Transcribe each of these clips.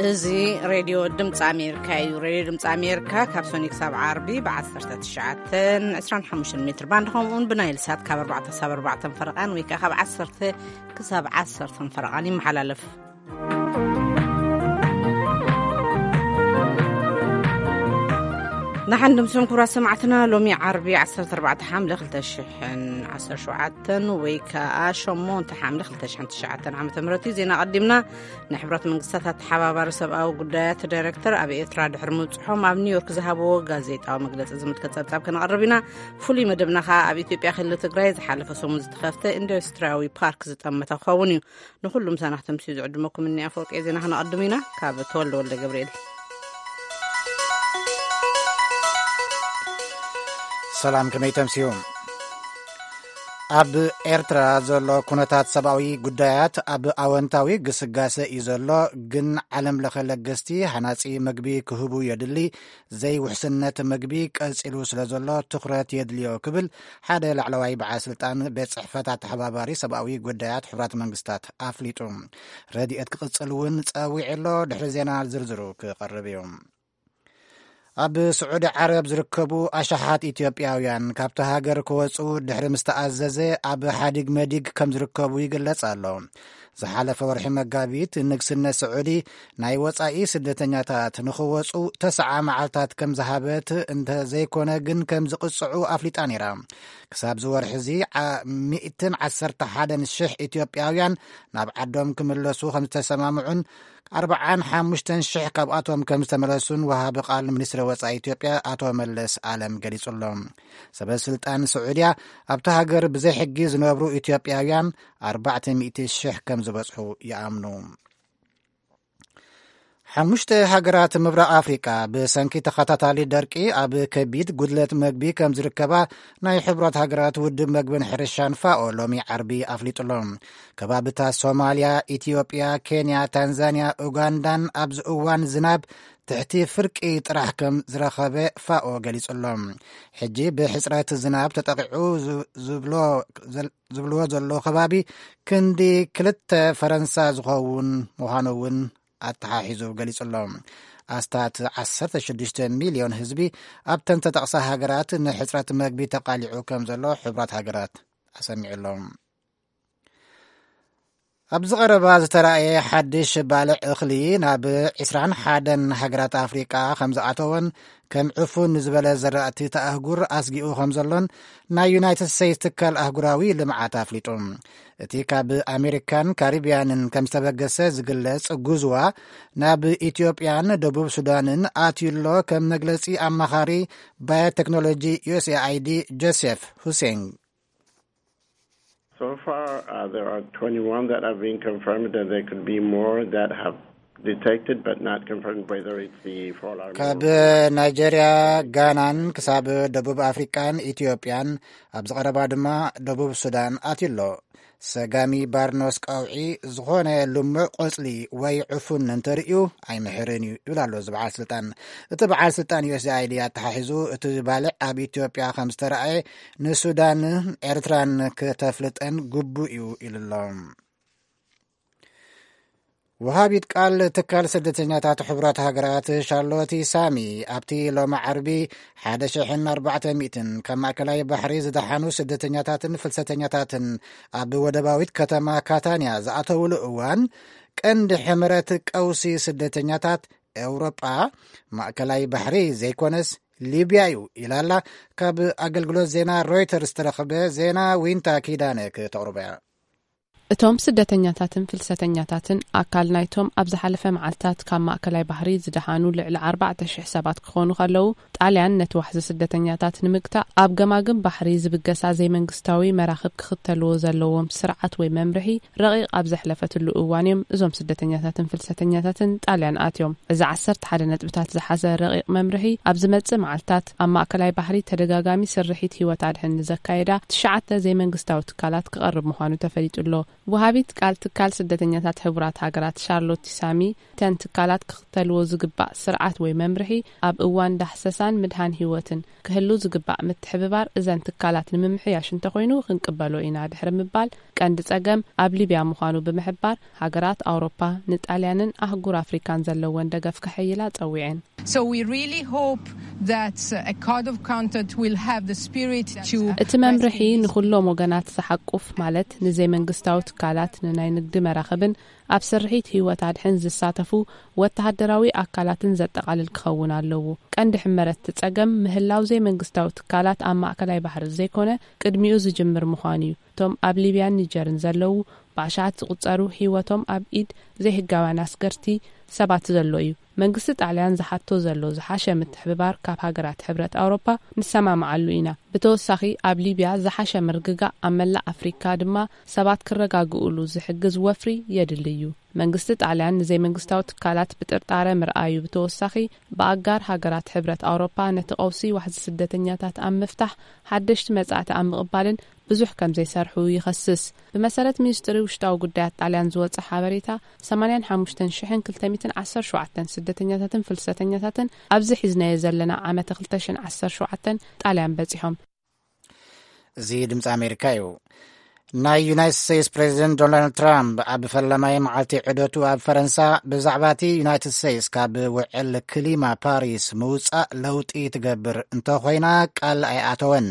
እዚ ሬድዮ ድምፂ ኣሜሪካ እዩ። ሬድዮ ድምፂ ኣሜሪካ ካብ ሶኒ ክሳብ ዓርቢ ብ19፣ 25 ሜትር ባንድ፣ ከምኡውን ብናይል ሳት ካብ 4 ክሳብ 4 ፈረቓን ወይ ከዓ ካብ 10 ክሳብ 10 ፈረቓን ይመሓላለፍ። ንሓን ድምስም ክቡራት ሰማዕትና፣ ሎሚ ዓርቢ 14 ሓምለ 2017 ወይ ከዓ 8 ሓምለ 2019 ዓ ም እዩ። ዜና ቀዲምና። ናይ ሕብረት መንግስታት ኣተሓባባሪ ሰብኣዊ ጉዳያት ዳይሬክተር ኣብ ኤርትራ ድሕሪ ምብጽሖም ኣብ ኒውዮርክ ዝሃብዎ ጋዜጣዊ መግለጺ ዝምልከት ጸብጻብ ከነቕርብ ኢና። ፍሉይ መደብና ከኣ ኣብ ኢትዮጵያ ክልል ትግራይ ዝሓለፈ ሰሙን ዝተኸፍተ ኢንዱስትሪያዊ ፓርክ ዝጠመተ ክኸውን እዩ። ንኹሉም ሳናኽተምሲ ዝዕድመኩም እኒ ኣፈወርቂ ዜና ክነቐድም ኢና። ካብ ተወልደ ወልደ ገብርኤል። ሰላም፣ ከመይ ተምስዩ? ኣብ ኤርትራ ዘሎ ኩነታት ሰብኣዊ ጉዳያት ኣብ ኣወንታዊ ግስጋሰ እዩ ዘሎ፣ ግን ዓለም ለኸ ለገስቲ ሃናጺ መግቢ ክህቡ የድሊ፣ ዘይውሕስነት መግቢ ቀጺሉ ስለ ዘሎ ትኹረት የድልዮ ክብል ሓደ ላዕለዋይ በዓል ስልጣን ቤት ጽሕፈት ኣተሓባባሪ ሰብኣዊ ጉዳያት ሕቡራት መንግስታት ኣፍሊጡ። ረድኤት ክቕጽል እውን ጸዊዑ ኣሎ። ድሕሪ ዜና ዝርዝሩ ክቐርብ እዩ። ኣብ ስዑዲ ዓረብ ዝርከቡ ኣሽሓት ኢትዮጵያውያን ካብቲ ሃገር ክወጹ ድሕሪ ምስ ተኣዘዘ ኣብ ሓዲግ መዲግ ከም ዝርከቡ ይግለጽ ኣሎ። ዝሓለፈ ወርሒ መጋቢት ንግስነት ስዑዲ ናይ ወጻኢ ስደተኛታት ንኽወጹ ተስዓ መዓልታት ከም ዝሃበት እንተ ዘይኮነ ግን ከም ዝቕጽዑ ኣፍሊጣ ነይራ። ክሳብ ዝወርሒ እዚ ዓ-፣ ሚእትን ዓሰርተ ሓደን ሽሕ ኢትዮጵያውያን ናብ ዓዶም ክምለሱ ከም ዝተሰማምዑን ኣርብዓን ሓሙሽተን ሽሕ ካብኣቶም ከም ዝተመለሱን ወሃቢ ቃል ሚኒስትሪ ወጻኢ ኢትዮጵያ ኣቶ መለስ ኣለም ገሊጹ ኣሎ። ሰበ ስልጣን ስዑድያ ኣብቲ ሃገር ብዘይ ሕጊ ዝነብሩ ኢትዮጵያውያን ኣርባዕተ ሚእቲ ሽሕ ከም ዝበጽሑ ይኣምኑ። ሓሙሽተ ሃገራት ምብራቕ ኣፍሪቃ ብሰንኪ ተኸታታሊ ደርቂ ኣብ ከቢድ ጉድለት መግቢ ከም ዝርከባ ናይ ሕቡራት ሃገራት ውድብ መግብን ሕርሻን ፋኦ ሎሚ ዓርቢ ኣፍሊጡ ኣሎ። ከባብታት ሶማልያ፣ ኢትዮጵያ፣ ኬንያ፣ ታንዛንያ፣ ኡጋንዳን ኣብዚ እዋን ዝናብ ትሕቲ ፍርቂ ጥራሕ ከም ዝረኸበ ፋኦ ገሊጹ ኣሎ። ሕጂ ብሕጽረት ዝናብ ተጠቒዑ ዝ-፣ ዝብሎ ዘል-፣ ዝብልዎ ዘለዉ ከባቢ ክንዲ ክልተ ፈረንሳ ዝኸውን ምዃኑ እውን ኣተሓሒዙ ገሊጹ ኣሎ። ኣስታት 16 ሚልዮን ህዝቢ ኣብተን ተጠቕሳ ሃገራት ንሕጽረት መግቢ ተቓሊዑ ከም ዘሎ ሕቡራት ሃገራት ኣሰሚዑ ኣሎ። ኣብዚ ቀረባ ዝተራእየ ሓድሽ ባልዕ እኽሊ ናብ 21 ሃገራት ኣፍሪቃ ከም ዝኣተወን ከም ዕፉን ዝበለ ዘራእቲ ተኣህጉር ኣስጊኡ ከም ዘሎን ናይ ዩናይትድ ስቴትስ ትካል ኣህጉራዊ ልምዓት ኣፍሊጡ። እቲ ካብ ኣሜሪካን ካሪብያንን ከም ዝተበገሰ ዝግለጽ ጉዝዋ ናብ ኢትዮጵያን ደቡብ ሱዳንን ኣትዩሎ ከም መግለጺ ኣማኻሪ ባዮቴክኖሎጂ ዩ ኤስ ኤ ኣይ ዲ ጆሴፍ ሁሴን። So far, uh, there are twenty-one that have been confirmed, and there could be more that have detected but not confirmed whether it's the fall arm ካብ or ናይጄርያ፣ ጋናን ክሳብ ደቡብ ኣፍሪቃን ኢትዮጵያን፣ ኣብዚ ቀረባ ድማ ደቡብ ሱዳን ኣትዩሎ። ሰጋሚ ባርኖስ ቀውዒ ዝኾነ ልሙዕ ቆጽሊ ወይ ዕፉን እንተርእዩ ኣይምሕርን እዩ ይብል ኣሎ እዚ በዓል ስልጣን። እቲ በዓል ስልጣን ዩ ኤስ ኤ ኣይ ዲ ኣተሓሒዙ እቲ ባልዕ ኣብ ኢትዮጵያ ከም ዝተረኣየ ንሱዳን ኤርትራን ከተፍልጠን ግቡእ እዩ ኢሉ ኣሎ። ወሃቢት ቃል ትካል ስደተኛታት ሕቡራት ሃገራት ሻርሎቲ ሳሚ ኣብቲ ሎሚ ዓርቢ 1,400 ካብ ማእከላይ ባሕሪ ዝደሓኑ ስደተኛታትን ፍልሰተኛታትን ኣብ ወደባዊት ከተማ ካታንያ ዝኣተውሉ እዋን ቀንዲ ሕምረት ቀውሲ ስደተኛታት ኤውሮጳ ማእከላይ ባሕሪ ዘይኮነስ ሊብያ እዩ ኢላላ። ካብ ኣገልግሎት ዜና ሮይተርስ ዝተረኸበ ዜና ዊንታ ኪዳነ ክተቕርቦ እያ። እቶም ስደተኛታትን ፍልሰተኛታትን ኣካል ናይቶም ኣብ ዝሓለፈ መዓልታት ካብ ማእከላይ ባሕሪ ዝደሓኑ ልዕሊ ኣርባዕተ ሽሕ ሰባት ክኾኑ ከለዉ፣ ጣልያን ነቲ ዋሕዚ ስደተኛታት ንምግታእ ኣብ ገማግም ባሕሪ ዝብገሳ ዘይመንግስታዊ መራኽብ ክኽተልዎ ዘለዎም ስርዓት ወይ መምርሒ ረቂቕ ኣብ ዘሕለፈትሉ እዋን እዮም እዞም ስደተኛታትን ፍልሰተኛታትን ጣልያን ኣትዮም። እዚ ዓሰርተ ሓደ ነጥብታት ዝሓዘ ረቂቕ መምርሒ ኣብ ዝመጽእ መዓልታት ኣብ ማእከላይ ባሕሪ ተደጋጋሚ ስርሒት ህይወት ኣድሕን ንዘካየዳ ትሽዓተ ዘይመንግስታዊ ትካላት ክቐርብ ምዃኑ ተፈሊጡ ኣሎ። ወሃቢት ቃል ትካል ስደተኛታት ሕቡራት ሃገራት ሻርሎት ሳሚ፣ እተን ትካላት ክኽተልዎ ዝግባእ ስርዓት ወይ መምርሒ፣ ኣብ እዋን ዳህሰሳን ምድሃን ህይወትን ክህሉ ዝግባእ ምትሕብባር እዘን ትካላት ንምምሕያሽ እንተኾይኑ ክንቅበሎ ኢና ድሕሪ ምባል፣ ቀንዲ ጸገም ኣብ ሊብያ ምዃኑ ብምሕባር፣ ሃገራት ኣውሮፓ ንጣልያንን ኣህጉር ኣፍሪካን ዘለወን ደገፍ ከሐይላ ጸዊዐን። So we really hope that a code of conduct will have the spirit to እቲ መምርሒ ንኹሎም ወገናት ዝሓቁፍ፣ ማለት ንዘይመንግስታዊ ትካላት፣ ንናይ ንግዲ መራኽብን ኣብ ስርሒት ህይወት ኣድሕን ዝሳተፉ ወተሃደራዊ ኣካላትን ዘጠቓልል ክኸውን ኣለዎ። ቀንዲ ሕመረት እቲ ጸገም ምህላው ዘይመንግስታዊ ትካላት ኣብ ማእከላይ ባሕሪ ዘይኮነ ቅድሚኡ ዝጅምር ምዃኑ እዩ። እቶም ኣብ ሊብያን ኒጀርን ዘለዉ ብኣሽሓት ዝቑጸሩ ህይወቶም ኣብ ኢድ ዘይህጋውያን ኣስገርቲ ሰባት ዘሎ እዩ። መንግስቲ ጣልያን ዝሓቶ ዘሎ ዝሓሸ ምትሕብባር ካብ ሃገራት ሕብረት ኣውሮፓ ንሰማምዓሉ ኢና። ብተወሳኺ ኣብ ሊብያ ዝሓሸ ምርግጋእ ኣብ መላእ ኣፍሪካ ድማ ሰባት ክረጋግኡሉ ዝሕግዝ ወፍሪ የድሊ እዩ። መንግስቲ ጣልያን ንዘይመንግስታዊ ትካላት ብጥርጣረ ምርኣዩ ብተወሳኺ ብኣጋር ሃገራት ሕብረት ኣውሮፓ ነቲ ቀውሲ ዋሕዚ ስደተኛታት ኣብ ምፍታሕ ሓደሽቲ መጻእቲ ኣብ ምቕባልን ብዙሕ ከም ዘይሰርሑ ይኸስስ። ብመሰረት ሚኒስትሪ ውሽጣዊ ጉዳያት ጣልያን ዝወጸ ሓበሬታ፣ ሰማንያን ሓሙሽተን ሽሕን ክልተ ሚእትን ዓሰርተ ሸውዓተን ስደተኛታትን ፍልሰተኛታትን ኣብዚ ሒዝናዮ ዘለና ዓመተ ክልተ ሽሕን ዓሰርተ ሸውዓተን ጣልያን በጺሖም። እዚ ድምፂ ኣሜሪካ እዩ። ናይ ዩናይትድ ስቴትስ ፕሬዚደንት ዶናልድ ትራምፕ ኣብ ፈለማይ መዓልቲ ዑደቱ ኣብ ፈረንሳ ብዛዕባ እቲ ዩናይትድ ስቴትስ ካብ ውዕል ክሊማ ፓሪስ ምውፃእ ለውጢ ትገብር እንተኾይና ቃል ኣይኣተወን።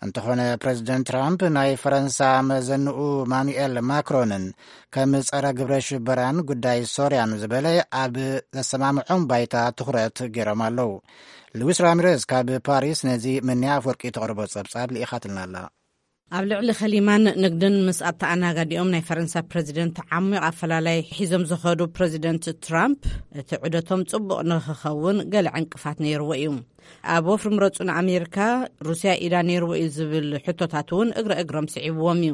እንተኾነ ፕሬዚደንት ትራምፕ ናይ ፈረንሳ መዘንኡ ማኑኤል ማክሮንን ከም ጸረ ግብረ ሽበራን ጉዳይ ሶርያን ዝበለ ኣብ ዘሰማምዖም ባይታ ትኹረት ገይሮም ኣለዉ። ሉዊስ ራሚሬዝ ካብ ፓሪስ ነዚ ምንያ ኣፍወርቂ ተቕርቦ ጸብጻብ ልኢኻትልና ኣላ። ኣብ ልዕሊ ከሊማን ንግድን ምስ ኣተኣናጋዲኦም ናይ ፈረንሳ ፕረዚደንት ዓሚቕ ኣፈላላይ ሒዞም ዝኸዱ ፕረዚደንት ትራምፕ፣ እቲ ዑደቶም ጽቡቕ ንኽኸውን ገለ ዕንቅፋት ነይርዎ እዩ። ኣብ ወፍሪ ምረጹ ንኣሜሪካ፣ ሩስያ ኢዳ ነይርዎ እዩ ዝብል ሕቶታት እውን እግረ እግሮም ስዒብዎም እዩ።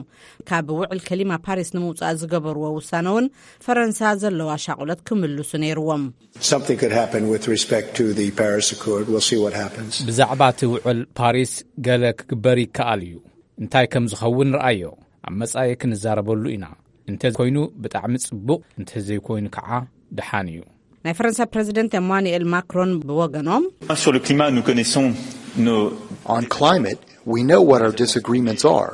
ካብ ውዕል ከሊማ ፓሪስ ንምውጻእ ዝገበርዎ ውሳነ እውን ፈረንሳ ዘለዋ ሻቑለት ክምልሱ ነይርዎም። Something could happen with respect to the Paris Accord. We'll see what happens. ብዛዕባ እቲ ውዕል ፓሪስ ገለ ክግበር ይከኣል እዩ። እንታይ ከም ዝኸውን ርኣዮ። ኣብ መጻኢ ክንዛረበሉ ኢና። እንተ ኮይኑ ብጣዕሚ ጽቡቕ፣ እንተ ዘይኮይኑ ከዓ ደሓን እዩ። ናይ ፈረንሳ ፕረዚደንት ኤማኑኤል ማክሮን ብወገኖም፣ Sur le climat, nous connaissons nos On climate, we know what our disagreements are.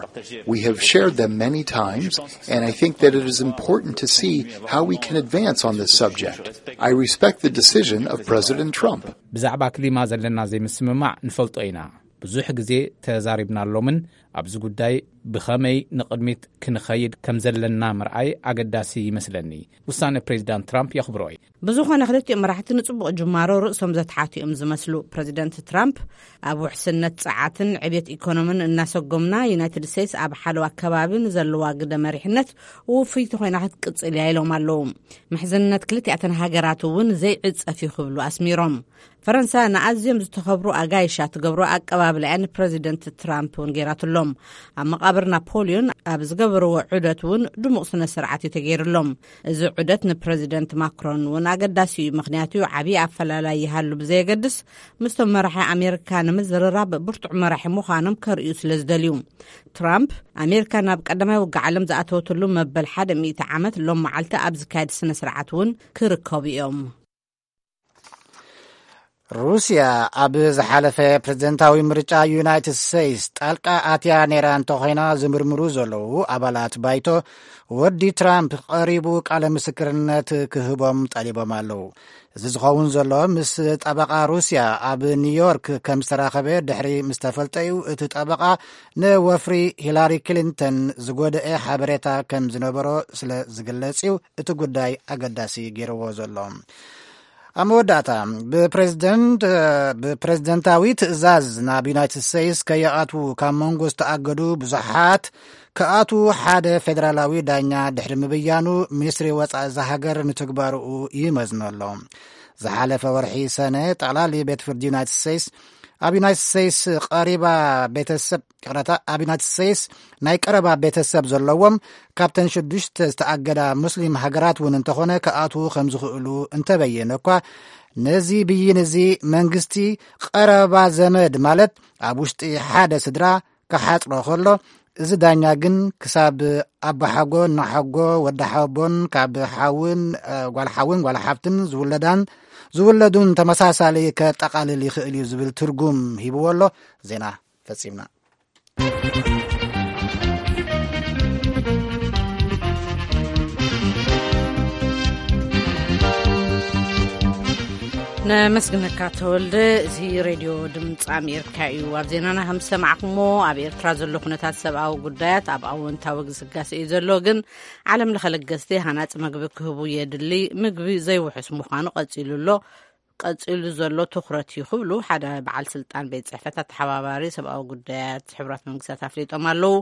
We have shared them many times, and I think that it is important to see how we can advance on this subject. I respect the decision of President Trump. ብዛዕባ ክሊማ ዘለና ዘይምስምማዕ ንፈልጦ ኢና። ብዙሕ ግዜ ተዛሪብናሎምን ኣብዚ ጉዳይ ብኸመይ ንቕድሚት ክንኸይድ ከም ዘለና ምርኣይ ኣገዳሲ ይመስለኒ። ውሳነ ፕሬዚዳንት ትራምፕ የኽብሮ እየ። ብዝኾነ ክልቲኦም መራሕቲ ንጽቡቕ ጅማሮ ርእሶም ዘትሓቱ እዮም ዝመስሉ። ፕረዚደንት ትራምፕ ኣብ ውሕስነት ጸዓትን ዕብየት ኢኮኖምን እናሰጎምና፣ ዩናይትድ ስቴትስ ኣብ ሓለዋ ከባቢ ንዘለዋ ግደ መሪሕነት ውፍይቲ ኮይና ክትቅጽል እያ ኢሎም ኣለዉ። ምሕዝነት ክልቲኣተን ሃገራት እውን ዘይዕጸፍ እዩ ክብሉ ኣስሚሮም። ፈረንሳ ንኣዝዮም ዝተኸብሩ ኣጋይሻ ትገብሮ ኣቀባብላ እያ ንፕረዚደንት ትራምፕ እውን ገይራትሎም። ኣብ መቓብር ናፖሊዮን ኣብ ዝገበርዎ ዑደት እውን ድሙቕ ስነ ስርዓት እዩ ተገይርሎም። እዚ ዑደት ንፕረዚደንት ማክሮን እውን ኣገዳሲ እዩ፣ ምኽንያቱ ዓብዪ ኣፈላላይ ይሃሉ ብዘየገድስ ምስቶም መራሒ ኣሜሪካ ንምዝርራብ ብርቱዕ መራሒ ምዃኖም ከርእዩ ስለ ዝደልዩ። ትራምፕ ኣሜሪካ ናብ ቀዳማይ ውግእ ዓለም ዝኣተወትሉ መበል ሓደ ሚእቲ ዓመት ሎም መዓልቲ ኣብ ዝካየድ ስነ ስርዓት እውን ክርከቡ እዮም። ሩስያ ኣብ ዝሓለፈ ፕሬዝደንታዊ ምርጫ ዩናይትድ ስቴትስ ጣልቃ ኣትያ ነይራ እንተኾይና፣ ዝምርምሩ ዘለዉ ኣባላት ባይቶ ወዲ ትራምፕ ቀሪቡ ቃለ ምስክርነት ክህቦም ጠሊቦም ኣለዉ። እዚ ዝኸውን ዘሎ ምስ ጠበቓ ሩስያ ኣብ ኒውዮርክ ከም ዝተራኸበ ድሕሪ ምስ ተፈልጠ እዩ። እቲ ጠበቓ ንወፍሪ ሂላሪ ክሊንተን ዝጎደኤ ሓበሬታ ከም ዝነበሮ ስለ ዝግለጽ እዩ እቲ ጉዳይ ኣገዳሲ ገይርዎ ዘሎ። ኣብ መወዳእታ፣ ብፕሬዝደንት ብፕሬዝደንታዊ ትእዛዝ ናብ ዩናይትድ ስቴትስ ከይኣትዉ ካብ መንጎ ዝተኣገዱ ብዙሓት ክኣትዉ ሓደ ፌደራላዊ ዳኛ ድሕሪ ምብያኑ፣ ሚኒስትሪ ወጻኢ እዛ ሃገር ንትግባርኡ ይመዝኖ ኣሎ። ዝሓለፈ ወርሒ ሰነ፣ ጠቕላሊ ቤት ፍርዲ ዩናይትድ ስቴትስ ኣብ ዩናይትድ ስቴትስ ቀሪባ ቤተሰብ ይቕረታ፣ ኣብ ዩናይትድ ስቴትስ ናይ ቀረባ ቤተሰብ ዘለዎም ካብተን ሽዱሽተ ዝተኣገዳ ሙስሊም ሃገራት እውን እንተኾነ ክኣትዉ ከም ዝኽእሉ እንተበየነ እኳ፣ ነዚ ብይን እዚ መንግስቲ ቀረባ ዘመድ፣ ማለት ኣብ ውሽጢ ሓደ ስድራ ክሓጽሮ ከሎ፣ እዚ ዳኛ ግን ክሳብ ኣቦሓጎ፣ እናሓጎ፣ ወዲ ሓቦን ካብ ሓውን፣ እ፣ ጓል ሓውን ጓል ሓፍትን ዝውለዳን ዝውለዱን ተመሳሳሊ ከጠቓልል ይኽእል እዩ ዝብል ትርጉም ሂብዎ ኣሎ። ዜና ፈጺምና። ነመስግነካ ተወልደ። እዚ ሬድዮ ድምፂ ኣሜሪካ እዩ። ኣብ ዜናና ከም ዝሰማዕኩሞ፣ ኣብ ኤርትራ ዘሎ ኩነታት ሰብኣዊ ጉዳያት ኣብ ኣወንታዊ ግስጋሴ እዩ ዘሎ፣ ግን ዓለም ለኸ ለገስቲ ሃናፂ ምግቢ ክህቡ የድሊ። ምግቢ ዘይውሑስ ምዃኑ ቀፂሉ ኣሎ። ቀፂሉ ዘሎ ትኹረት እዩ ክብሉ ሓደ በዓል ስልጣን ቤት ጽሕፈት ኣተሓባባሪ ሰብኣዊ ጉዳያት ሕቡራት መንግስታት ኣፍሊጦም ኣለዉ።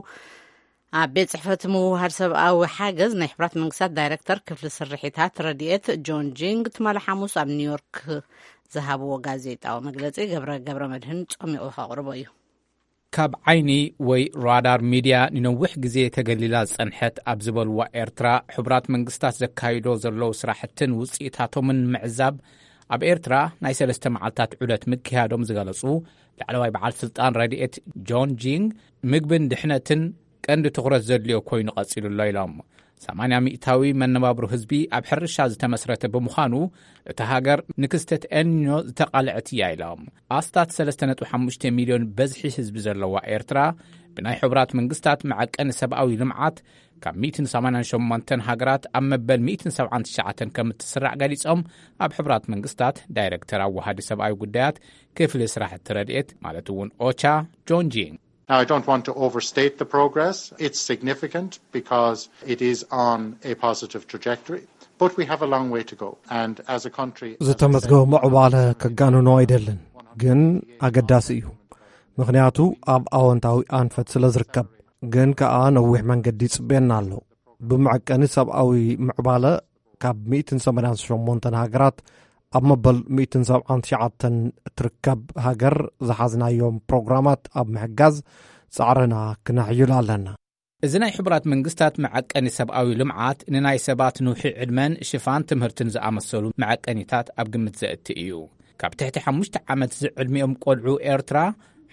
ኣብ ቤት ጽሕፈት ምውሃድ ሰብኣዊ ሓገዝ ናይ ሕቡራት መንግስታት ዳይሬክተር ክፍሊ ስርሒታት ረድኤት ጆን ጂንግ ትማሊ ሓሙስ ኣብ ኒውዮርክ ዝሃብዎ ጋዜጣዊ መግለጺ ገብረ፣ ገብረ መድህን ጸሚቑ ከቕርቦ እዩ። ካብ ዓይኒ ወይ ራዳር ሚድያ ንነዊሕ ግዜ ተገሊላ ዝጸንሐት ኣብ ዝበልዋ ኤርትራ፣ ሕቡራት መንግስታት ዘካይዶ ዘለዉ ስራሕትን ውጽኢታቶምን ምዕዛብ፣ ኣብ ኤርትራ ናይ ሰለስተ መዓልታት ዑደት ምክያዶም ዝገለጹ ላዕለዋይ በዓል ስልጣን ረድኤት ጆን ጂንግ፣ ምግብን ድሕነትን ቀንዲ ትኹረት ዘድልዮ ኮይኑ ቀጺሉ ኣሎ ኢሎም። ሰማንያ ሚእታዊ መነባብሮ ህዝቢ ኣብ ሕርሻ ዝተመስረተ ብምዃኑ፣ እታ ሃገር ንክስተት ኤልኒኖ ዝተቓልዐት እያ ኢሎም። ኣስታት ሰለስተ ነጥቢ ሓሙሽተ ሚልዮን በዝሒ ህዝቢ ዘለዋ ኤርትራ፣ ብናይ ሕቡራት መንግስታት መዐቀኒ ሰብኣዊ ልምዓት ካብ ሚእትን ሰማንያን ሸሞንተን ሃገራት ኣብ መበል ሚእትን ሰብዓን ትሽዓተን ከም እትስራዕ ገሊጾም፣ ኣብ ሕቡራት መንግስታት ዳይረክተር ኣዋሃዲ ሰብኣዊ ጉዳያት ክፍሊ ስራሕቲ ረድኤት፣ ማለት እውን ኦቻ፣ ጆን ጂንግ። Now, I don't want to overstate the progress. It's significant because it is on a positive trajectory, but we have a long way to go. And as a country, as I said, ዝተመዝገበ ምዕባለ ከጋንኖ ኣይደልን፣ ግን ኣገዳሲ እዩ። ምኽንያቱ ኣብ ኣወንታዊ ኣንፈት ስለ ዝርከብ፣ ግን ከኣ ነዊሕ መንገዲ ይጽበየና ኣሎ። ብመዐቀኒ ሰብኣዊ ምዕባለ ካብ ሚእትን ሰማንያን ሸሞንተን ሃገራት ኣብ መበል ሚእትን ሰብዓን ትሽዓተን እትርከብ ሃገር ዝሓዝናዮም ፕሮግራማት ኣብ ምሕጋዝ ጻዕርና ክነሕይል ኣለና። እዚ ናይ ሕቡራት መንግስታት መዐቀኒ ሰብኣዊ ልምዓት ንናይ ሰባት ንውሒ ዕድመን ሽፋን ትምህርትን ዝኣመሰሉ መዐቀኒታት ኣብ ግምት ዘእቲ እዩ። ካብ ትሕቲ ሓሙሽተ ዓመት ዝዕድሚኦም ቆልዑ ኤርትራ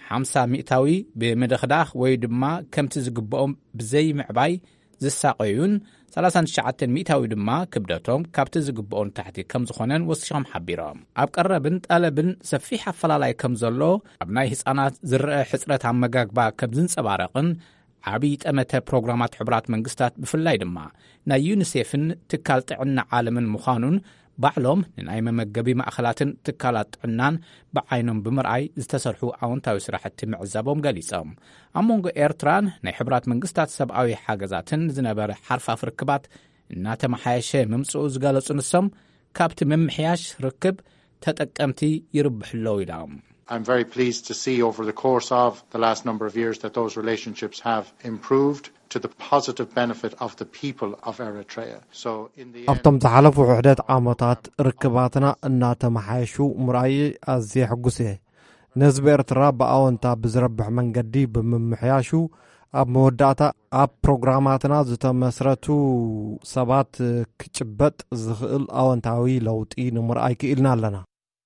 ሓምሳ ሚእታዊ ብምድኽዳኽ ወይ ድማ ከምቲ ዝግብኦም ብዘይምዕባይ ዝሳቐዩን፣ ሰላሳን ትሽዓተን ሚእታዊ ድማ ክብደቶም ካብቲ ዝግብኦ ንታሕቲ ከም ዝኾነን ወሲኾም ሓቢሮም። ኣብ ቀረብን ጠለብን ሰፊሕ ኣፈላላይ ከም ዘሎ፣ ኣብ ናይ ህጻናት ዝረአ ሕጽረት ኣመጋግባ ከም ዝንጸባረቕን፣ ዓብዪ ጠመተ ፕሮግራማት ሕቡራት መንግስታት ብፍላይ ድማ ናይ ዩኒሴፍን ትካል ጥዕና ዓለምን ምዃኑን ባዕሎም ንናይ መመገቢ ማእኸላትን ትካላት ጥዕናን ብዓይኖም ብምርኣይ ዝተሰርሑ ኣወንታዊ ስራሕቲ ምዕዛቦም ገሊጾም። ኣብ መንጎ ኤርትራን ናይ ሕቡራት መንግስታት ሰብኣዊ ሓገዛትን ዝነበረ ሓርፋፍ ርክባት እናተመሓየሸ ምምጽኡ ዝገለጹ ንሶም፣ ካብቲ ምምሕያሽ ርክብ ተጠቀምቲ ይርብሑ ኣለዉ ኢሎም። I'm very pleased to see over the course of the last number of years that those relationships have improved to the positive benefit of the people of Eritrea. So in the end, ኣብቶም ዝሓለፉ ውሕደት ዓመታት ርክባትና እናተመሓየሹ ምርኣይ ኣዝየ ሕጉስ እየ። ንህዝቢ ኤርትራ ብኣወንታ ብዝረብሕ መንገዲ ብምምሕያሹ፣ ኣብ መወዳእታ ኣብ ፕሮግራማትና ዝተመስረቱ ሰባት ክጭበጥ ዝኽእል ኣወንታዊ ለውጢ ንምርኣይ ክኢልና ኣለና።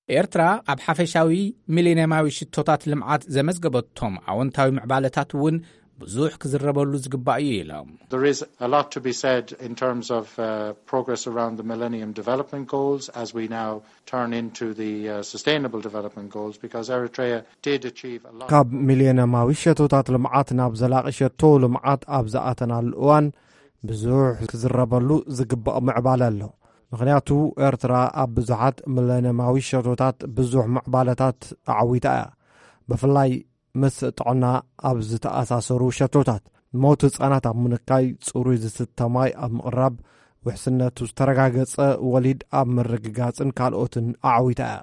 ኤርትራ ኣብ ሓፈሻዊ ሚሌንየማዊ ሽቶታት ልምዓት ዘመዝገበቶም ኣወንታዊ ምዕባለታት እውን ብዙሕ ክዝረበሉ ዝግባእ እዩ ኢሎም። There is a lot to be said in terms of uh, progress around the Millennium Development Goals as we now turn into the uh, Sustainable Development Goals, because Eritrea did achieve a lot. ካብ ሚሌንየማዊ ሸቶታት ልምዓት ናብ ዘላቒ ሸቶ ልምዓት ኣብ ዝኣተናሉ እዋን ብዙሕ ክዝረበሉ ዝግባእ ምዕባለ ኣሎ። ምኽንያቱ ኤርትራ ኣብ ብዙሓት ሚሌንየማዊ ሸቶታት ብዙሕ ምዕባለታት ኣዓዊታ እያ። ብፍላይ ምስ ጥዕና ኣብ ዝተኣሳሰሩ ሸቶታት፣ ሞት ህጻናት ኣብ ምንካይ፣ ጽሩይ ዝስተ ማይ ኣብ ምቕራብ፣ ውሕስነቱ ዝተረጋገጸ ወሊድ ኣብ ምርግጋጽን ካልኦትን ኣዓዊታ እያ።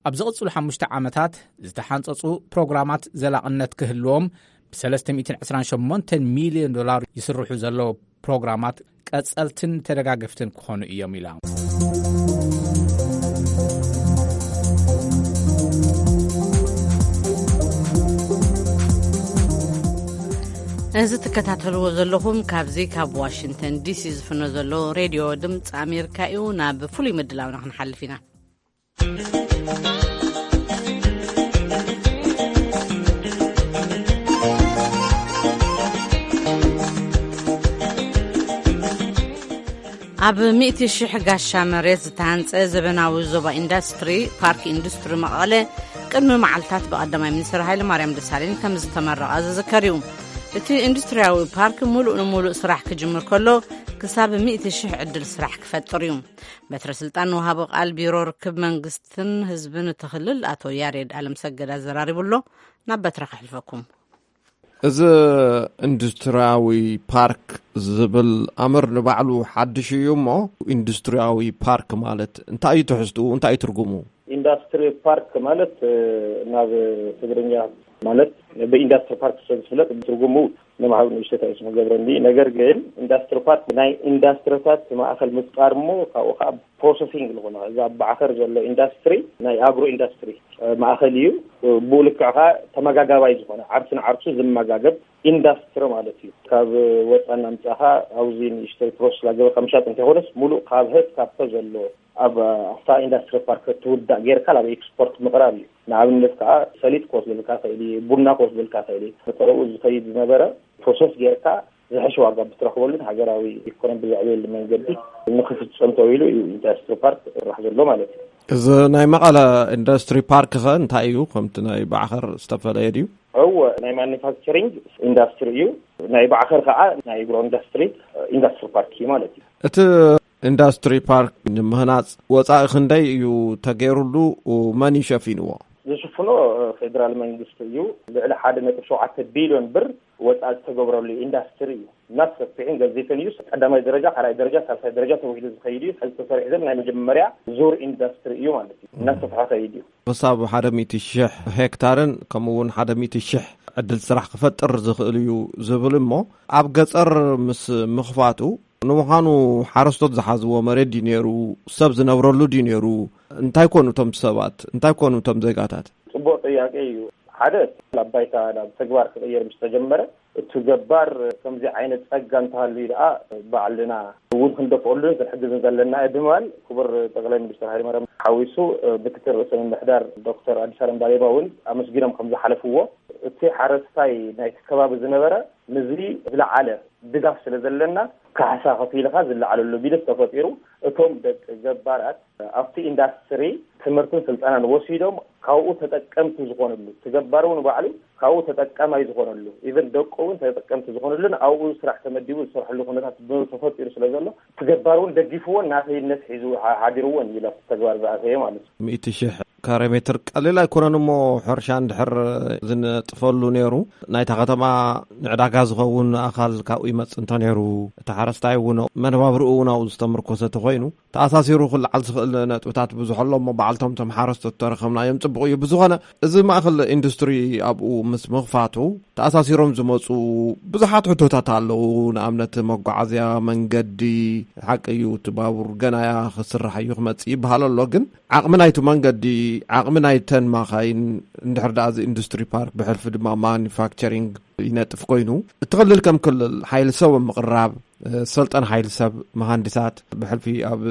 ኣብ ዝቕጽሉ ሓሙሽተ ዓመታት ዝተሓንጸጹ ፕሮግራማት ዘላቕነት ክህልዎም፣ ብሰለስተ ሚእትን ዕስራን ሸሞንተን ሚልዮን ዶላር ይስርሑ ዘለዉ ፕሮግራማት ቀጸልትን ተደጋገፍትን ክኾኑ እዮም ኢሎም። እዚ ትከታተልዎ ዘለኹም ካብዚ ካብ ዋሽንግተን ዲሲ ዝፍኖ ዘሎ ሬድዮ ድምፂ ኣሜሪካ እዩ። ናብ ፍሉይ ምድላውና ክንሓልፍ ኢና። ኣብ ሚእቲ ሽሕ ጋሻ መሬት ዝተሃንጸ ዘበናዊ ዞባ ኢንዳስትሪ ፓርክ ኢንዱስትሪ መቐለ ቅድሚ መዓልታት ብቐዳማይ ሚኒስትር ሃይለ ማርያም ደሳለኝ ከም ዝተመረቐ ዝዝከር እዩ። እቲ ኢንዱስትሪያዊ ፓርክ ሙሉእ ንሙሉእ ስራሕ ክጅምር ከሎ ክሳብ ሚእቲ ሽሕ ዕድል ስራሕ ክፈጥር እዩ። በትረ ስልጣን ንወሃቢ ቃል ቢሮ ርክብ መንግስትን ህዝብን እቲ ክልል ኣቶ ያሬድ ኣለምሰገድ ኣዘራሪቡ ኣሎ። ናብ በትረ ከሕልፈኩም። እዚ ኢንዱስትሪያዊ ፓርክ ዝብል ኣምር ንባዕሉ ሓድሽ እዩ እሞ፣ ኢንዱስትሪያዊ ፓርክ ማለት እንታይ እዩ ትሕዝትኡ? እንታይ እዩ ትርጉሙ? ኢንዳስትሪ ፓርክ ማለት፣ እ፣ ናብ ትግርኛ ማለት ብኢንዳስትሪ ፓርክ ስለ ዝፍለጥ ትርጉሙ ንምሃብ ንእሽተት ኣይስ መገብረኒ። ነገር ግን ኢንዳስትሪ ፓርክ ናይ ኢንዳስትሪታት ማእኸል ምፍጣር እሞ ካብኡ ከዓ ፕሮሰሲንግ ዝኾነ እዛ ኣብ ባዕኸር ዘሎ ኢንዳስትሪ ናይ ኣግሮ ኢንዳስትሪ፣ እ፣ ማእኸል እዩ። እ፣ ብኡ ልክዕ ከዓ ተመጋጋባይ ዝኾነ ዓርሱ ንዓርሱ ዝመጋገብ ኢንዳስትሪ ማለት እዩ። ካብ ወፃና ምፃኻ ኣብዚ ንእሽተይ ፕሮሰስ ላገበርካ ምሻጥ እንተይኮነስ ሙሉእ ካብ ህት ካብቶ ዘሎ ኣብ ኣፍታ ኢንዳስትሪ ፓርክ ትውዳእ ጌርካ ናብ ኤክስፖርት ምቕራብ እዩ። ንኣብነት ከዓ ሰሊጥ ክወስደልካ ክእል እዩ፣ ቡና ክወስደልካ ክእል እዩ። ብጥረኡ ዝኸይድ ዝነበረ ፕሮሰስ ጌርካ ዝሕሽ ዋጋ ብትረኽበሉን ሃገራዊ ኢኮኖሚ ብዘዕብየሉ መንገዲ ንክፍፀም ተባሂሉ እዩ ኢንዳስትሪ ፓርክ ይስራሕ ዘሎ ማለት እዩ። እዚ ናይ መቐለ ኢንዱስትሪ ፓርክ ኸ እንታይ እዩ? ከምቲ ናይ ባዕኸር ዝተፈለየ ድዩ? እወ፣ ናይ ማኑፋክቸሪንግ ኢንዳስትሪ እዩ። ናይ ባዕኸር ከዓ ናይ ኣግሮ ኢንዳስትሪ ኢንዳስትሪ ፓርክ እዩ ማለት እዩ። እቲ ኢንዱስትሪ ፓርክ ንምህናፅ ወፃኢ ክንደይ እዩ ተገይሩሉ? መን እዩ ሸፊንዎ? ዝሽፍኖ ፌደራል መንግስቲ እዩ። ልዕሊ ሓደ ነጥቢ ሸውዓተ ቢልዮን ብር ወፃኢ ዝተገብረሉ ኢንዳስትሪ እዩ። እናሰፍሕን ገዚፍን እዩ። ቀዳማይ ደረጃ፣ ካልኣይ ደረጃ፣ ሳልሳይ ደረጃ ተባሂሉ ዝኸይድ እዩ። ሕዚ ተሰሪሑ ዘሎ ናይ መጀመርያ ዙር ኢንዳስትሪ እዩ ማለት እዩ። እናሰፍሐ ከይድ እዩ። ክሳብ ሓደ ሚእቲ ሽሕ ሄክታርን ከምኡ እውን ሓደ ሚእቲ ሽሕ ዕድል ስራሕ ክፈጥር ዝኽእል እዩ ዝብል እሞ፣ ኣብ ገፀር ምስ ምኽፋቱ፣ ንምዃኑ ሓረስቶት ዝሓዝዎ መሬት ድዩ ነይሩ? ሰብ ዝነብረሉ ድዩ ነይሩ? እንታይ ኮኑ እቶም ሰባት? እንታይ ኮኑ እቶም ዜጋታት? ፅቡቅ ጥያቄ እዩ። ሓደ፣ ናብ ባይታ ናብ ተግባር ክቕየር ምስ ተጀመረ፣ እቲ ገባር ከምዚ ዓይነት ጸጋ እንተሃልዩ ደኣ ባዕልና እውን ክንደፍኦሉን ክንሕግዝን ዘለና ዕድማን ክቡር ጠቅላይ ሚኒስትር ሃይለማርያም ሓዊሱ ምክትል ርእሰ ምምሕዳር ዶክተር ኣዲስ ኣለም ባሌማ እውን ኣመስጊኖም ከም ዝሓለፍዎ፣ እቲ ሓረስታይ ናይቲ ከባቢ ዝነበረ ምስዚ ዝለዓለ ድጋፍ ስለ ዘለና ካሕሳ ከፊልካ ዝለዓለሉ ቢልስ ተፈጢሩ፣ እቶም ደቂ ገባራት ኣብቲ ኢንዳስትሪ ትምህርትን ስልጠናን ወሲዶም ካብኡ ተጠቀምቲ ዝኾነሉ፣ እቲ ገባር እውን ባዕሉ ካብኡ ተጠቀማይ ዝኾነሉ፣ ኢቨን ደቁ እውን ተጠቀምቲ ዝኾነሉን ኣብኡ ስራሕ ተመዲቡ ዝሰርሐሉ ኩነታት ተፈጢሩ ስለ ዘሎ፣ እቲ ገባር እውን ደጊፍዎን ናተይነት ሒዙ ሓ-፣ ሓዲርዎን እዩ ናብቲ ተግባር ዝኣተየ ማለት እዩ። ሚእቲ ሽሕ ካሬ ሜትር ቀሊል ኣይኮነን እሞ፣ ሕርሻ እንድሕር ዝነጥፈሉ ነይሩ፣ ናይታ ከተማ ንዕዳጋ ዝኸውን ኣኻል ካብኡ ይመጽእ እንተ ነይሩ፣ እቲ ሓረስታይ እውን መነባብርኡ እውን ኣብኡ ዝተመርኮሰ ተኾይኑ፣ ተኣሳሲሩ ክለዓል ዝኽእል ነጥብታት ብዙሕ ኣሎ እሞ፣ በዓልቶም እቶም ሓረስቶት ተረኸብናዮም ጽቡቕ እዩ። ብዝኾነ፣ እዚ ማእከል ኢንዱስትሪ ኣብኡ ምስ ምኽፋቱ፣ ተኣሳሲሮም ዝመጹ ብዙሓት ሕቶታት ኣለዉ። ንኣብነት፣ መጓዓዝያ መንገዲ፣ ሓቂ እዩ፣ እቲ ባቡር ገናያ ክስራሕ እዩ ክመጽእ ይበሃል ኣሎ። ግን ዓቕሚ ናይቲ መንገዲ፣ ዓቕሚ ናይተን ማኻይን፣ እንድሕር ደኣ እዚ ኢንዱስትሪ ፓርክ ብሕልፊ ድማ ማኑፋክቸሪንግ ይነጥፍ ኮይኑ፣ እቲ ክልል ከም ክልል ሓይሊ ሰብ ኣብ ምቕራብ፣ ሰልጠን ሓይሊ ሰብ፣ መሃንዲሳት፣ ብሕልፊ ኣብ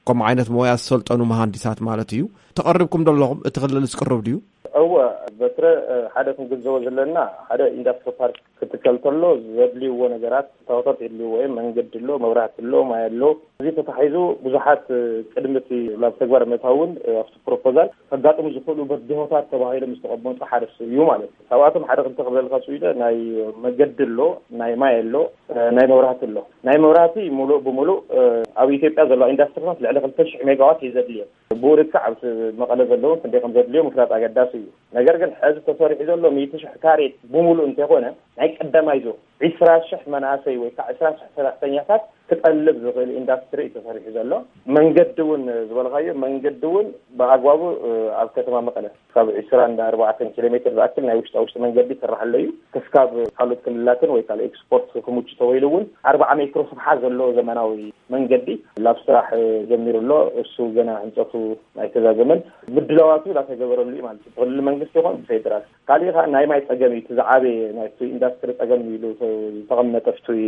ከምኡ ዓይነት ሞያ ዝሰልጠኑ መሃንዲሳት ማለት እዩ። ተቐሪብኩም ዶ ኣለኹም? እቲ ክልል ዝቅርብ ድዩ? እወ፣ በትረ፣ ሓደ ክንግንዘቦ ዘለና፣ ሓደ ኢንዳስትሪ ፓርክ ክትከል ተሎ ዘድልይዎ ነገራት፣ እታወታት የድልይዎ እዮም። መንገዲ ኣሎ፣ መብራህቲ ኣሎ፣ ማይ ኣሎ። እዚ ተታሒዙ ብዙሓት፣ ቅድሚ እቲ ናብ ተግባር ምእታው እውን፣ ኣብቲ ፕሮፖዛል ከጋጥሙ ዝኽእሉ በድሆታት ተባሂሎም ዝተቐመጡ ሓደ እዩ ማለት እዩ። ካብኣቶም ሓደ ክልተ ክብለልካ ስኢነ፣ ናይ መገዲ ኣሎ፣ ናይ ማይ ኣሎ፣ ናይ መብራህቲ ኣሎ። ናይ መብራህቲ ሙሉእ ብሙሉእ፣ ኣብ ኢትዮጵያ ዘለዋ ኢንዳስትሪታት ልዕሊ ክልተ ሽሕ ሜጋዋት እዩ ዘድልየን። ብኡ ልክዕ ኣብ መቐለ ዘለዉ ክንደይ ከም ዘድልዮ ምፍላጥ ኣገዳሲ እዩ። ነገር ግን፣ ሕዚ ተሰሪሑ ዘሎ ሚእቲ ሽሕ ካሬ ብሙሉእ እንተይኮነ፣ ናይ ቀዳማይ ዙር ዒስራ ሽሕ መናእሰይ ወይ ከዓ ዒስራ ሽሕ ሰራሕተኛታት ክጠልብ ዝኽእል ኢንዳስትሪ እዩ ተሰሪሑ ዘሎ። መንገዲ እውን ዝበልካዮ፣ መንገዲ እውን ብኣግባቡ፣ ኣብ ከተማ መቐለ ካብ ዒስራን ኣርባዕተን ኪሎ ሜትር ዝኣክል ናይ ውሽጣ ውሽጢ መንገዲ ይስራሕ ኣሎ እዩ። ክስካብ ካልኦት ክልላትን ወይ ካልእ ኤክስፖርት ክምቹ ተባሂሉ እውን ኣርብዓ ሜትሮ ስፍሓት ዘለዎ ዘመናዊ መንገዲ ላብ ስራሕ ጀሚሩ ኣሎ። እሱ ገና ህንፀቱ ኣይተዛዘመን፣ ምድላዋቱ ላተገበረሉ እዩ ማለት እዩ። ብክልል መንግስቲ ይኹን ብፌደራል። ካሊእ ከዓ ናይ ማይ ፀገም እዩ፣ እቲ ዝዓበየ ናይቲ ኢንዳስትሪ ፀገም ኢሉ ዝተቐመጠ ፍቱይ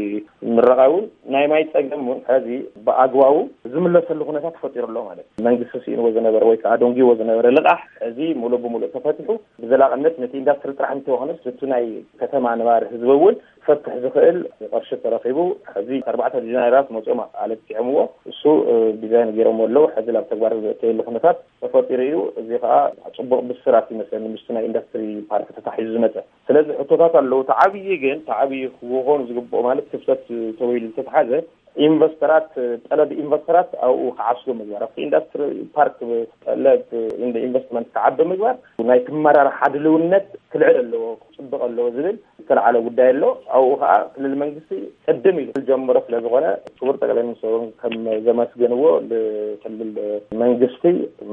ምረቓ እውን ናይ ማይ ፀገም እውን ሕዚ ብኣግባቡ ዝምለሰሉ ኩነታት ተፈጢሩ ኣሎ ማለት እዩ። መንግስቲ ስኢንዎ ዝነበረ ወይ ከዓ ደንጊዎ ዝነበረ ልቓሕ ሕዚ ሙሉእ ብሙሉእ ተፈቲሑ ብዘላቕነት ነቲ ኢንዳስትሪ ጥራሕ እንተይኮነስ፣ እቲ ናይ ከተማ ነባሪ ህዝቢ እውን ክፈትሕ ዝኽእል ቅርሺ ተረኺቡ። ሕዚ ኣርባዕተ ዲዛይነራት መፅኦም ኣለኪዖምዎ። እሱ እ፣ ዲዛይን ገይሮም ኣለዉ። ሕዚ ናብ ተግባር ዘእተየሉ ኩነታት ተፈጢሩ እዩ። እዚ ከዓ ፅቡቕ ብስራት ይመስለኒ ምስቲ ናይ ኢንዱስትሪ ፓርክ ተታሒዙ ዝመፀ። ስለዚ ሕቶታት ኣለዉ። እቲ ዓብዪ ግን እቲ ዓብዪ ክኾኑ ዝግብኦ ማለት ክፍተት ተባሂሉ ዝተትሓዘ ኢንቨስተራት፣ ጠለብ ኢንቨስተራት ኣብኡ ክዓስሉ ምግባር፣ ኣብቲ ኢንዱስትሪ ፓርክ ጠለብ ኢንቨስትመንት ክዓቢ ምግባር፣ ናይ ትመራርሓ ድልውነት ክልዕል ኣለዎ፣ ክፅብቕ ኣለዎ ዝብል ዝተለዓለ ጉዳይ ኣሎ። ኣብኡ ከዓ ክልል መንግስቲ ቅድም ኢሉ ዝጀመሮ ስለ ዝኾነ ክቡር ጠቅላይ ሚኒስትር እውን ከም ዘመስገንዎ ንክልል መንግስቲ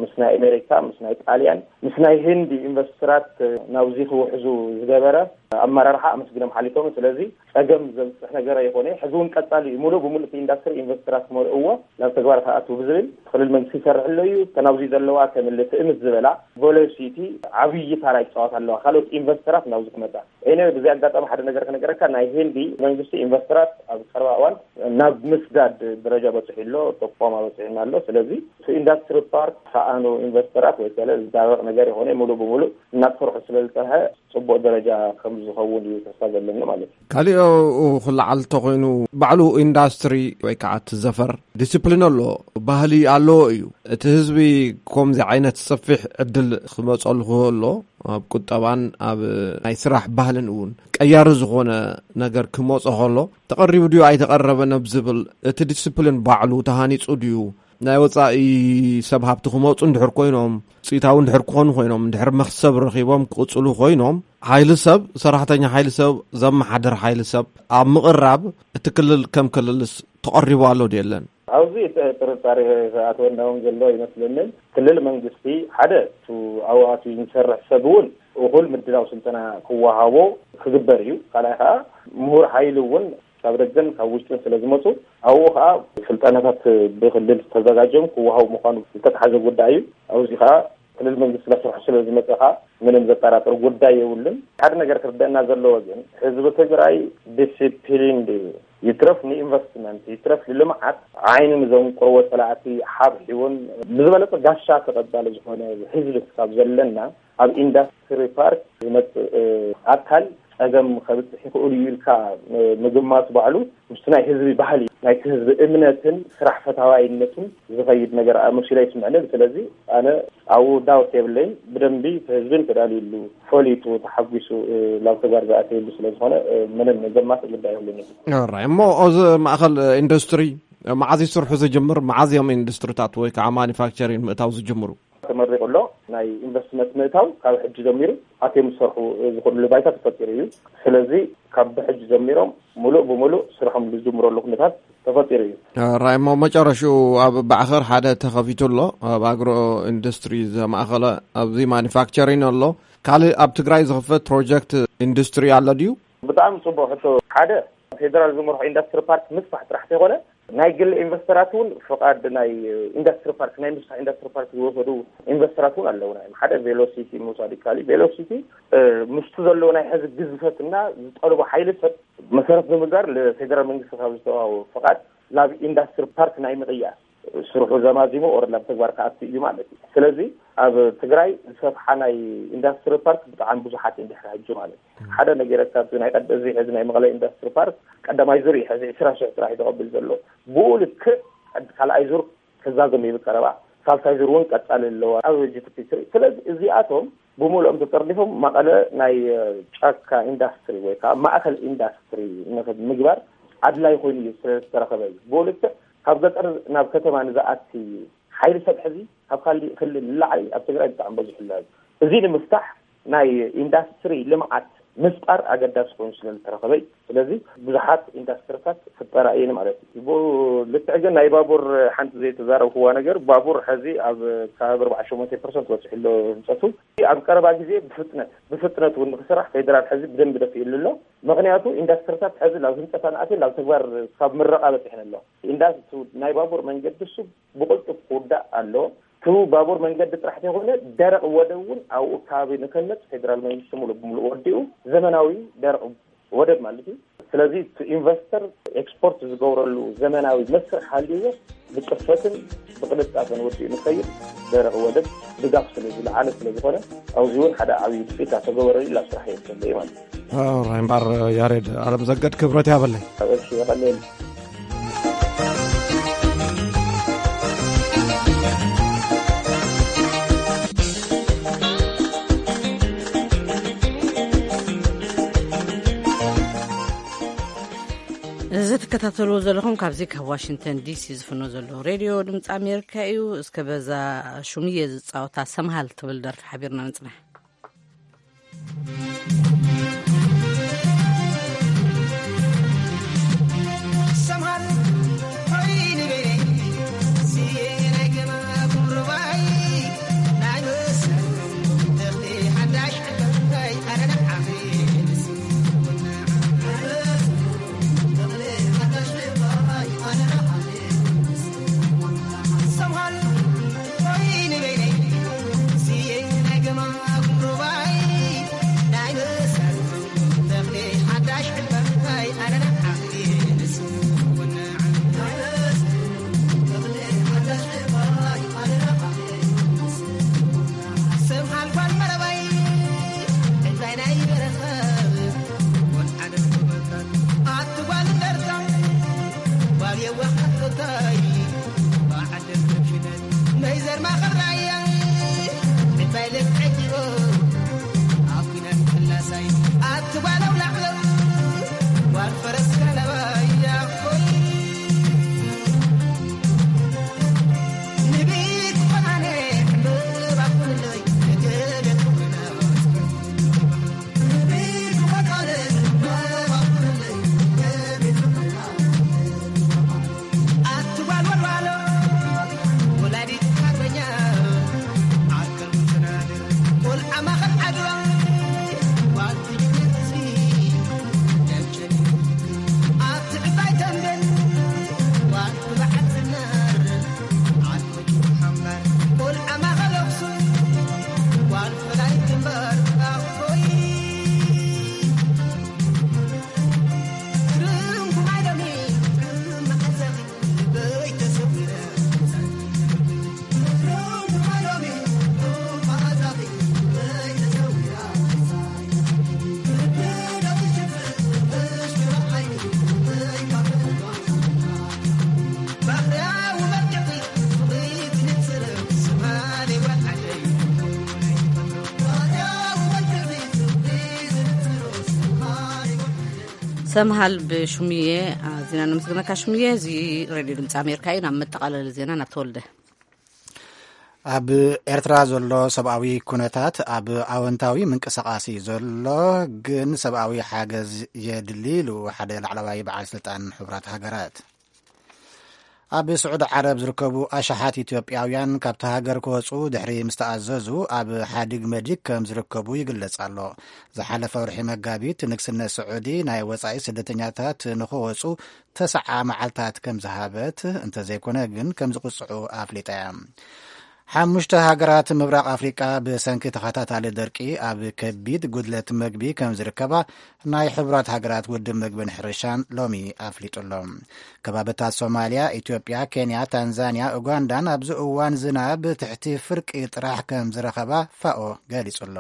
ምስ ናይ ኣሜሪካ፣ ምስ ናይ ጣልያን፣ ምስ ናይ ህንዲ ኢንቨስተራት ናብዚ ክውሕዙ ዝገበረ ኣመራርሓ ኣመስግኖም ሓሊፎም። ስለዚ ጸገም ዘብፅሕ ነገር ኣይኾነ። ሕዚ እውን ቀጻሊ እዩ። ሙሉእ ብሙሉእ እቲ ኢንዱስትሪ ኢንቨስተራት ክመልእዎ ናብ ተግባር ክኣትው ብዝብል ክልል መንግስቲ ይሰርሕ ኣሎ እዩ። እተን ኣብዚ ዘለዋ ከም እለ ትእምት ዝበላ ቬሎሲቲ ዓብዪ ታራ ይፃወት ኣለዋ። ካልኦት ኢንቨስተራት ናብዚ ክመፃ እኔ ብዚ ኣጋጣሚ ሓደ ነገር ክነገረካ፣ ናይ ህንዲ መንግስቲ ኢንቨስተራት ኣብ ቀረባ እዋን ናብ ምስዳድ ደረጃ በፅሑ ኣሎ፣ ጥቆማ በፅሑና ኣሎ። ስለዚ እቲ ኢንዱስትሪ ፓርክ ከኣኑ ኢንቨስተራት ወይ ከለ ዝዳረቕ ነገር ይኾነ ሙሉእ ብሙሉእ እናተሰርሑ ስለ ዝፀንሐ ፅቡቕ ደረጃ ከም ዝኸውን እዩ ተስፋ ዘለኒ ማለት እዩ። ካሊኦ ክለዓል እንተኾይኑ ባዕሉ ኢንዳስትሪ ወይ ከዓ እቲ ዘፈር ዲስፕሊን ኣሎ፣ ባህሊ ኣለዎ እዩ። እቲ ህዝቢ ከምዚ ዓይነት ሰፊሕ ዕድል ክመፀሉ ክህሎ ኣብ ቁጠባን ኣብ ናይ ስራሕ ባህልን እውን ቀያሪ ዝኾነ ነገር ክመፆ ከሎ ተቐሪቡ ድዩ ኣይተቐረበን ኣብ ዝብል እቲ ዲስፕሊን ባዕሉ ተሃኒፁ ድዩ ናይ ወጻኢ ሰብ ሃብቲ ክመጹ እንድሕር ኮይኖም፣ ውጽኢታዊ እንድሕር ክኾኑ ኮይኖም፣ እንድሕር መኽሰብ ረኺቦም ክቕጽሉ ኮይኖም፣ ሓይሊ ሰብ፣ ሰራሕተኛ ሓይሊ ሰብ፣ ዘመሓድር ሓይሊ ሰብ ኣብ ምቕራብ እቲ ክልል ከም ክልልስ ተቐሪቡ ኣሎ ድዩ የለን? ኣብዚ ጥ-፣ ጥርጣሬ ዝኣተወና እውን ዘሎ ይመስለንን። ክልል መንግስቲ ሓደ እቱ ኣብኡ ኣትዩ ዝሰርሕ ሰብ እውን እኹል ምድላው ስልጠና ክወሃቦ ክግበር እዩ። ካልኣይ ከዓ ምሁር ሓይሊ እውን ካብ ደገን ካብ ውሽጥን ስለ ዝመፁ ኣብኡ ከዓ ስልጠናታት ብክልል ተዘጋጅዮም ክወሃቡ ምዃኑ ዝተተሓዘ ጉዳይ እዩ። ኣብዚ ከዓ ክልል መንግስቲ እናሰርሖ ስለ ዝመፀ ከዓ ምንም ዘጠራጥር ጉዳይ የብሉን። ሓደ ነገር ክርደአና ዘለዎ ግን ህዝቢ ትግራይ ዲሲፕሊን ድዩ? ይትረፍ ንኢንቨስትመንት ይትረፍ ንልምዓት ዓይኒ ንዘንቆርዎ ፀላእቲ ሓብሒቡን ብዝበለፀ ጋሻ ተቐባሊ ዝኾነ ህዝቢ ካብ ዘለና ኣብ ኢንዳስትሪ ፓርክ ዝመፅእ ኣካል ጸገም ከብፅሕ ይኽእሉ እዩ ኢልካ ምግማት ባዕሉ ምስቲ ናይ ህዝቢ ባህሊ ናይቲ ህዝቢ እምነትን ስራሕ ፈታዋይነቱን ዝኸይድ ነገር መሲሉ ኣይስምዐንን። ስለዚ ኣነ ኣብኡ ዳውት የብለይን። ብደንቢ ህዝብን ተዳልዩሉ ፈሊጡ ተሓጒሱ ናብ ተግባር ዝኣተየሉ ስለ ዝኾነ ምንም ዘማስእ ጉዳይ የብሉን። ራይ እሞ እዚ ማእኸል ኢንዱስትሪ መዓዝ ይስርሑ ዝጅምር? መዓዝ እዮም ኢንዱስትሪታት ወይ ከዓ ማኒፋክቸሪንግ ምእታው ዝጅምሩ? ተመሪቑ ኣሎ። ናይ ኢንቨስትመንት ምእታው ካብ ሕጂ ጀሚሩ ኣትዮም ዝሰርሑ ዝኽእሉሉ ባይታ ተፈጢሩ እዩ። ስለዚ ካብ ብሕጂ ጀሚሮም ሙሉእ ብሙሉእ ስርሖም ዝጅምረሉ ኩነታት ተፈጢሩ እዩ። ራይ እሞ መጨረሽኡ ኣብ ባዕኸር ሓደ ተኸፊቱ ኣሎ፣ ኣብ ኣግሮ ኢንዱስትሪ ዘማእኸለ ኣብዚ ማኒፋክቸሪን ኣሎ። ካልእ ኣብ ትግራይ ዝኽፈት ፕሮጀክት ኢንዱስትሪ ኣሎ ድዩ? ብጣዕሚ ጽቡቕ ሕቶ። ሓደ ፌደራል ዝመርሖ ኢንዱስትሪ ፓርክ ምስፋሕ ጥራሕ ተይኮነ ናይ ግል ኢንቨስተራት እውን ፍቓድ ናይ ኢንዱስትሪ ፓርክ ናይ ምስፋሕ ኢንዱስትሪ ፓርክ ዝወሰዱ ኢንቨስተራት እውን ኣለውና እዮም። ሓደ ቬሎሲቲ ምውሳድ ይከኣል እዩ። ቬሎሲቲ ምስቲ ዘለዎ ናይ ሕዚ ግዝፈትና ዝጠልቦ ሓይሊ ሰብ መሰረት ብምግባር ንፌደራል መንግስቲ ካብ ዝተዋሃቦ ፍቓድ ናብ ኢንዱስትሪ ፓርክ ናይ ምቕያር ስርሑ ዘማዚሙ ኦረድ ናብ ተግባር ክኣቱ እዩ ማለት እዩ። ስለዚ ኣብ ትግራይ ዝሰፍሓ ናይ ኢንዱስትሪ ፓርክ ብጣዕሚ ብዙሓት እዮም ድሕሪ ሕጂ ማለት እዩ። ሓደ ነገር ካብ ናይ ቀደዚ ሕዚ ናይ መቐለ ኢንዱስትሪ ፓርክ ቀዳማይ ዙር እዩ ሕዚ ዕስራ ሽሕ ጥራሕ እዩ ተቐብል ዘሎ። ብኡ ልክዕ ካልኣይ ዙር ክዛዘም እዩ ቀረባ። ሳልሳይ ዙር እውን ቀጻሊ ኣለዋ ኣብ ጂ ቲ ፒ ስሪ። ስለዚ እዚኣቶም ብምልኦም ተጠርኒፎም መቐለ ናይ ጫካ ኢንዱስትሪ ወይ ከዓ ማእከል ኢንዱስትሪ ንምግባር ኣድላይ ኮይኑ እዩ ስለዝተረኸበ እዩ። ብኡ ልክዕ ካብ ገጠር ናብ ከተማ ንዝኣቲ ሓይሊ ሰብ ሕዚ ካብ ካሊእ ክልል ንላዕሊ ኣብ ትግራይ ብጣዕሚ በዚሑ ኣሎ። እዚ ንምፍታሕ ናይ ኢንዳስትሪ ልምዓት ምፍጣር ኣገዳሲ ኮይኑ ስለ ዝተረኸበ እዩ። ስለዚ ብዙሓት ኢንዳስትሪታት ክፍጠራ እየን ማለት እዩ። ብኡ ልክዕ ግን ናይ ባቡር ሓንቲ ዘይተዛረብክዋ ነገር፣ ባቡር ሕዚ ኣብ ከባቢ ኣርባዓ ሸሞንተ ፐርሰንት በፂሑ ኣሎ ህንፀቱ። ኣብ ቀረባ ግዜ ብፍጥነት ብፍጥነት እውን ንክስራሕ ፌደራል ሕዚ ብደንቢ ደፊእሉ ኣሎ። ምክንያቱ ኢንዳስትሪታት ሕዚ ናብ ህንፀት ኣንኣትየን ናብ ተግባር ካብ ምረቓ በፂሐን ኣሎ። ኢንዳስትሪ ናይ ባቡር መንገዲ እሱ ብቕልጡፍ ክውዳእ ኣለዎ። እቲ ባቡር መንገዲ ጥራሕ ዘይኮነ ደረቕ ወደብ እውን ኣብኡ ከባቢ ንከነፅ ፌደራል መንግስቲ ሙሉእ ብምሉእ ወዲኡ ዘመናዊ ደረቕ ወደብ ማለት እዩ። ስለዚ እቲ ኢንቨስተር ኤክስፖርት ዝገብረሉ ዘመናዊ መስርሕ ሃልይዎ ብፅፈትን ብቅልጣፈን ወዲኡ ንኸይድ ደረቕ ወደብ ድጋፍ ስለ ዝለዓለ ስለ ዝኾነ ኣብዚ እውን ሓደ ዓብዪ ውፅኢት ኣተገበረሉ ኢላ ስራሕ እየ ዝፈልጥ ማለት እዩ። ራይ እምበኣር ያሬድ ኣለምዘገድ ክብረት ያበለይ። እሺ፣ የቐለየኒ። እዚ ትከታተልዎ ዘለኹም ካብዚ ካብ ዋሽንግተን ዲሲ ዝፍኖ ዘሎ ሬድዮ ድምፂ ኣሜሪካ እዩ። እስከ በዛ ሹምየ ዝፃወታ ሰምሃል ትብል ደርፊ ሓቢርና ንፅናሕ። ሰምሃል ብሹምዬ ኣዚና ነመስግነካ። ሹምዬ፣ እዚ ሬድዮ ድምፂ ኣሜሪካ እዩ። ናብ መጠቓለሊ ዜና ናብ ተወልደ። ኣብ ኤርትራ ዘሎ ሰብኣዊ ኩነታት ኣብ ኣወንታዊ ምንቅስቓስ እዩ ዘሎ፣ ግን ሰብኣዊ ሓገዝ የድሊ ኢሉ ሓደ ላዕለዋይ በዓል ስልጣን ሕቡራት ሃገራት። ኣብ ስዑዲ ዓረብ ዝርከቡ ኣሽሓት ኢትዮጵያውያን ካብቲ ሃገር ክወፁ ድሕሪ ምስ ተኣዘዙ ኣብ ሓዲግ መዲግ ከም ዝርከቡ ይግለጽ ኣሎ። ዝሓለፈ ወርሒ መጋቢት ንግስነት ስዑዲ ናይ ወጻኢ ስደተኛታት ንኽወፁ ተስዓ መዓልታት ከም ዝሃበት እንተዘይኮነ ግን ከም ዝቕጽዑ ኣፍሊጣ እያ። ሓሙሽተ ሃገራት ምብራቕ ኣፍሪቃ ብሰንኪ ተኸታታሊ ደርቂ ኣብ ከቢድ ጉድለት መግቢ ከም ዝርከባ ናይ ሕቡራት ሃገራት ውድብ መግብን ሕርሻን ሎሚ ኣፍሊጡ ኣሎ። ከባብታት ሶማልያ፣ ኢትዮጵያ፣ ኬንያ፣ ታንዛንያ፣ ኡጋንዳን ኣብዚ እዋን ዝናብ ትሕቲ ፍርቂ ጥራሕ ከም ዝረኸባ ፋኦ ገሊጹ ኣሎ።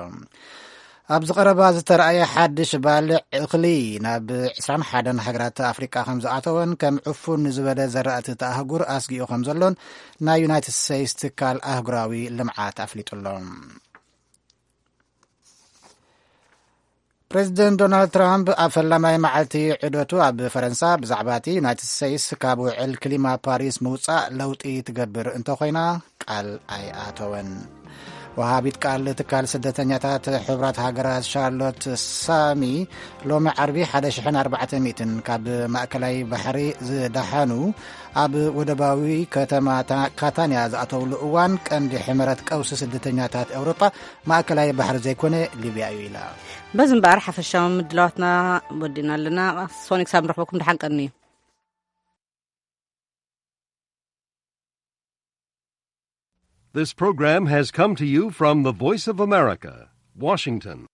ኣብዚ ቀረባ ዝተረኣየ ሓድሽ ባልዕ እኽሊ ናብ ዕስራን ሓደን ሃገራት ኣፍሪቃ ከም ዝኣተወን ከም ዕፉን ዝበለ ዘራእቲ እቲ ኣህጉር ኣስጊኡ ከም ዘሎን ናይ ዩናይትድ ስቴትስ ትካል ኣህጉራዊ ልምዓት ኣፍሊጡ ኣሎ። ፕሬዚደንት ዶናልድ ትራምፕ ኣብ ፈላማይ መዓልቲ ዑደቱ ኣብ ፈረንሳ ብዛዕባ እቲ ዩናይትድ ስቴትስ ካብ ውዕል ክሊማ ፓሪስ ምውጻእ ለውጢ ትገብር እንተኾይና ቃል ኣይኣተወን። ወሃቢት ቃል ትካል ስደተኛታት ሕቡራት ሃገራት ሻርሎት ሳሚ ሎሚ ዓርቢ ሓደ ሽሕን ኣርባዕተ ሚእትን ካብ ማእከላይ ባሕሪ ዝደሓኑ ኣብ ወደባዊ ከተማ ታ-፣ ካታንያ ዝኣተውሉ እዋን ቀንዲ ሕመረት ቀውሲ ስደተኛታት ኤውሮጳ ማእከላይ ባሕሪ ዘይኮነ ሊብያ እዩ ኢላ። በዚ እምበኣር ሓፈሻዊ ምድላዋትና ወዲና ኣለና። ሶኒክ ሳብ ንረኽበኩም ደሓን ቀኒ። This program has come to you from the Voice of America, Washington.